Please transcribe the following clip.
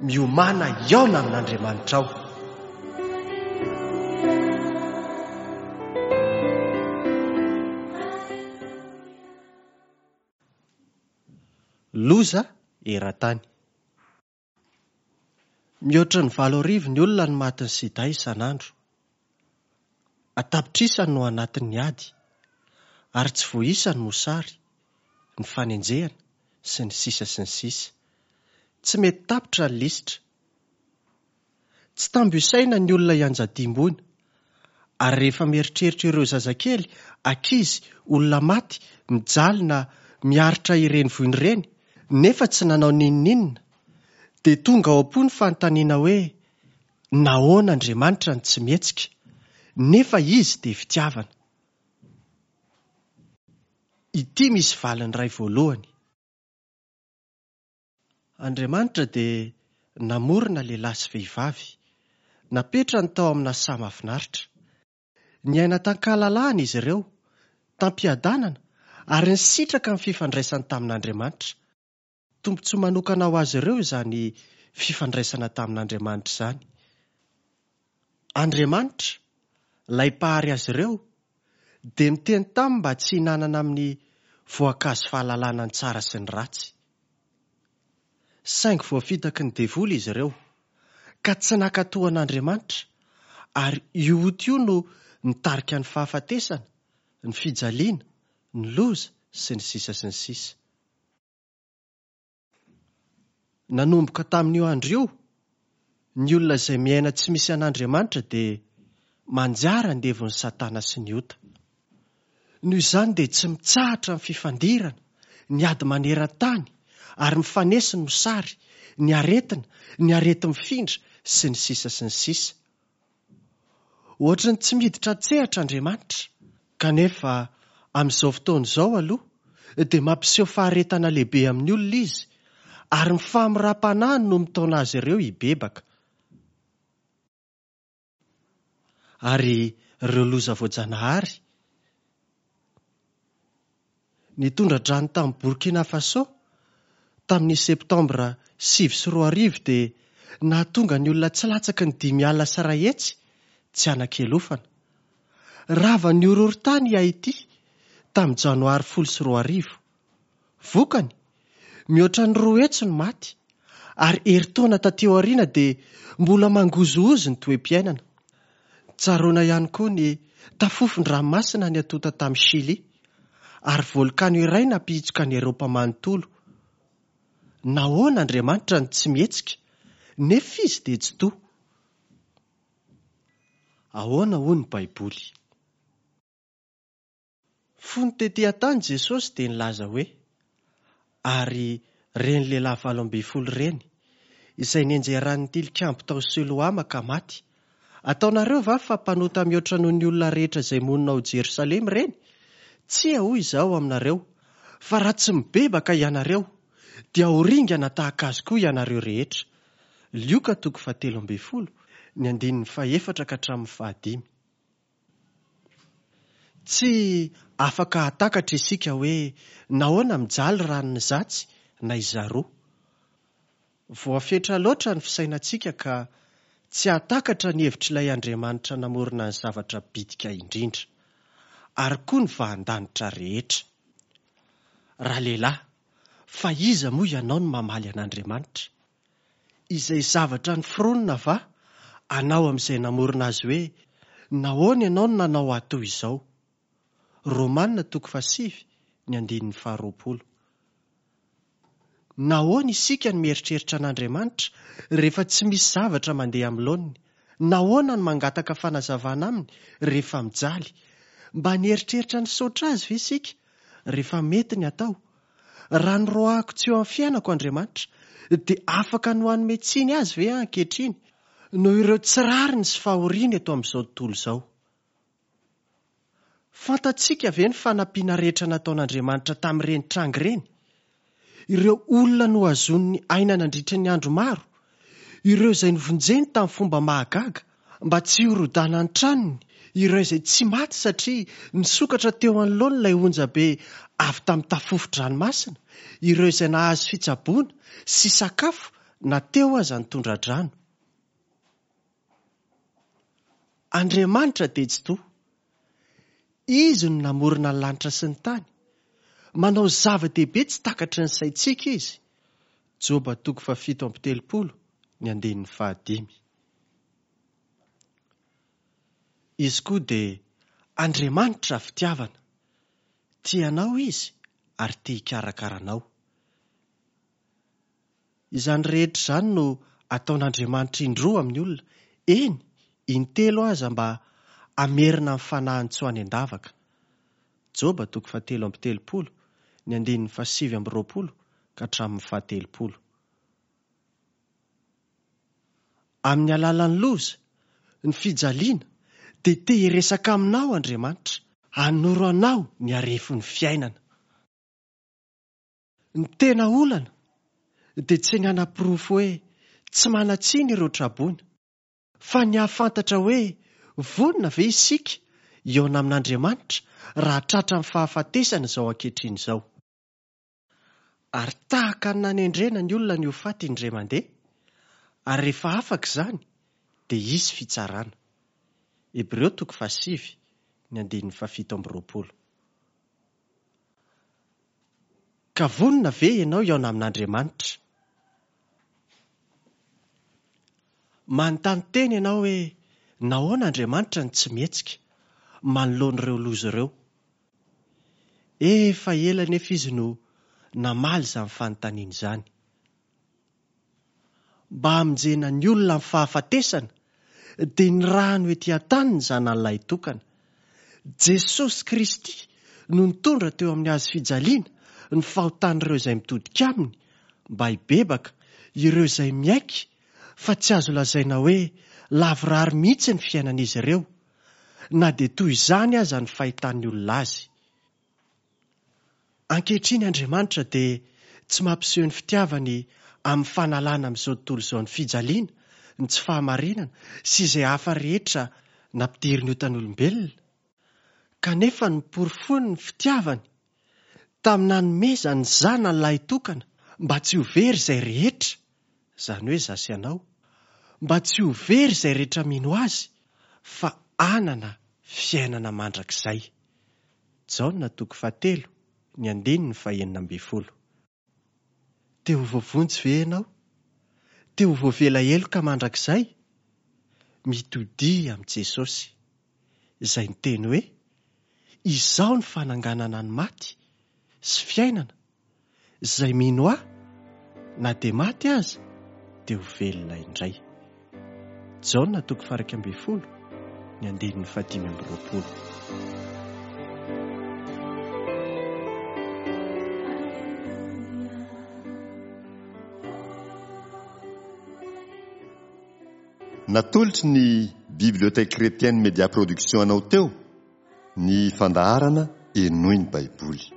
Miomàna hihaona amin'Andriamanitrao. Loza eran-tany. Mihoatra ny 8000 ny olona no matin'ny sida isan'andro. An-tapitrisany no anatin'ny ady, ary tsy voaisa ny mosary, ny fanenjehana, sy ny sisa sy ny sisa. Tsy mety tapitra ny lisitra. Tsy tambo isaina ny olona ianjadiam-boina, ary rehefa mieritreritra ireo zazakely, ankizy, olona maty, mijaly na miaritra ireny voina ireny, nefa tsy nanao n'inon'inona, dia tonga ao am-po ny fanontaniana hoe, Nahoana Andriamanitra no tsy mihetsika, nefa Izy dia fitiavana? Ity misy valiny iray voalohany. Andriamanitra dia namorona lehilahy sy vehivavy, napetrany tao amina saha mahafinaritra. Niaina tan-kahalalahana izy ireo, tam-piadanana, ary nisitraka ny fifandraisany tamin'Andriamanitra. Tombontsoa manokana ho azy ireo izany fifandraisana tamin'Andriamanitra izany. Andriamanitra, ilay Mpahary azy ireo, dia niteny taminy mba tsy hihinanana amin'ny voankazo fahalalana ny tsara sy ny ratsy. Saingy voafitaky ny devoly izy ireo, ka tsy nankatò an'Andriamanitra, ary io ota io no nitarika ny fahafatesana, ny fijaliana, ny loza, sy ny sisa sy ny sisa. Nanomboka tamin'io andro io, ny olona izay miaina tsy misy an'Andriamanitra dia manjary andevon'i Satana sy ny ota. Noho izany dia tsy mitsahatra ny fifandirana, ny ady maneran-tany, ary mifanesy ny mosary, ny aretina, ny areti-mifindra, sy ny sisa sy ny sisa. Ohatry ny tsy miditra an-tsehatra Andriamanitra. Kanefa, amin'izao fotoana izao aloha, dia mampiseho faharetana lehibe amin'ny olona Izy, ary ny fahamoram-panahiny no mitaona azy ireo hibebaka. Ary ireo loza voajanahary? Ny tondra-drano tany Burkina Faso tamin'ny Septambra 2009 dia nahatonga ny olona tsy latsaky ny 150 tsy hanan-kialofana. Ravan'ny horohorontany i Haiti tamin'ny Janoary 2010. Vokany, mihoatra ny 200 no maty, ary herintaona taty aoriana dia mbola mangozohozo ny toe-piainana. Tsaroana ihany koa ny tafofon-dranomasina niatonta tamin'i Shily, ary volkano iray nampihitsoka an'i Eropa manontolo. Nahoana Andriamanitra no tsy mihetsika, nefa Izy dia Tsitoha? Ahoana hoy ny Baiboly? Fony tetỳ an-tany Jesosy dia nilaza hoe, Ary ireny lehilahy 18 ireny, izay nianjeran'ny tilikambo tao Siloama ka maty, ataonareo va fa mpanota mihoatra noho ny olona rehetra izay monina ao Jerosalema ireny? Tsia, hoy Izaho aminareo, fa raha tsy mibebaka ianareo, dia ho ringana tahaka azy koa ianareo rehetra. Lioka toko fahatelo ambin'ny folo, ny andininy fahefatra ka hatramin'ny fahadimy. Tsy afaka hahatakatra isika hoe nahoana mijaly ranona izatsy na izaroa. Voafetra loatra ny fisainantsika ka tsy hahatakatra ny hevitr'ilay Andriamanitra namorona ny zavatra bitika indrindra, ary koa ny vahan-danitra rehetra. Ralehilahy, fa iza moa ianao no mamaly an'Andriamanitra? Izay zavatra noforonina va anao amin'izay namorona azy hoe, Nahoana ianao no nanao ahy toy izao? Romana toko fahasivy, ny andininy faharoapolo. Nahoana isika no mieritreritra an'Andriamanitra rehefa tsy misy zavatra mandeha amin'ny laoniny? Nahoana no mangataka fanazavana aminy rehefa mijaly? Mba nieritreritra nisaotra azy ve isika rehefa mety ny atao? Raha noroahako tsy eo amin'ny fiainako Andriamanitra, dia afaka ny ho hanome tsiny Azy ve aho ankehitriny, noho ireo tsy rariny sy fahoriana eto amin'izao tontolo izao? Fantatsika ve ny fanampiana rehetra nataon'Andriamanitra tamin'ireny tranga ireny? Ireo olona nohazoniny aina nandritra ny andro maro, ireo izay novonjeny tamin'ny fomba mahagaga mba tsy hirodana ny tranony, ireo izay tsy maty satria nisokatra teo anoloany ilay onja be avy tamin'ny tafofo-dranomasina, ireo izay nahazo fitsaboana sy sakafo. na teo aza ny tondra-drano. Andriamanitra dia Tsitoha. Izy no namorona ny lanitra sy ny tany. Manao zava-dehibe tsy takatry ny saintsika Izy. Joba toko fahafito amby telopolo, ny andininy fahadimy. Izy koa dia Andriamanitra fitiavana. Tia anao Izy ary te hikarakara anao. Izany rehetra izany no ataon'Andriamanitra indroa amin'ny olona, eny, intelo aza mba hamerina ny fanahiny tsy ho any an-davaka. Joba toko fahatelo amby telopolo, ny andininy fahasivy amby roapolo ka hatramin'ny fahatelopolo. Amin'ny alalan'ny loza, ny fijaliana, dia te hiresaka aminao Andriamanitra, hanoro anao ny harefon'ny fiainana. Ny tena olana dia tsy ny hanaporofo hoe tsy manan-tsiny ireo traboina, fa ny hahafantatra hoe vonona ve isika hihaona amin'Andriamanitra raha tratran'ny fahafatesana izao ankehitriny izao. Ary tahaka ny nanendrena ny olona ny ho faty indray mandeha, ary rehefa afaka izany dia hisy fitsarana. Hebreo toko fahasivy, ny andininy fahafito amby roapolo. Ka vonona ve ianao hihaona amin'Andriamanitra? Manontany tena ianao hoe nahoana Andriamanitra no tsy mihetsika manoloana ireo loza ireo. Efa ela anefa izy no namaly izany fanontaniana izany. Mba hamonjena ny olona amin'ny fahafatesana, dia nirahany ho ety an-tany ny Zanany Lahitokana. Jesosy Kristy no nitondra teo amin'ny hazo fijaliana ny fahotan'ireo izay mitodika aminy mba hibebaka, ireo izay miaiky fa tsy azo lazaina hoe lavorary mihitsy ny fiainan'izy ireo, na dia toy izany aza ny fahitan'ny olona azy. Ankehitriny Andriamanitra dia tsy mampiseho ny fitiavany amin'ny fanalana amin'izao tontolo izao ny fijaliana, ny tsy fahamarinana sy izay hafa rehetra nampidirin'ny otan'olombelona, kanefa noporofoiny ny fitiavany tamin'ny nanomezany ny Zanany lahitokana mba tsy ho very izay rehetra, izany hoe izaho sy ianao, mba tsy ho very izay rehetra mino Azy fa hanana fiainana mandrakizay. Jaona toko fahatelo, ny andininy fahenina ambin'ny folo. Te ho voavonjy ve ianao? Te ho voavela heloka mandrakizay? Mitodiha amin'i Jesosy, izay niteny hoe, Izaho no fananganana ny maty sy fiainana, Izay mino Ahy, na dia maty aza, dia ho velona indray. Jaona toko faha-iraika ambin'ny folo, ny andininy fahadimy amby roapolo. Natolotry ny Bibliothèque Chrétienne Média Production anao teo ny fandaharana Henoy ny Baiboly.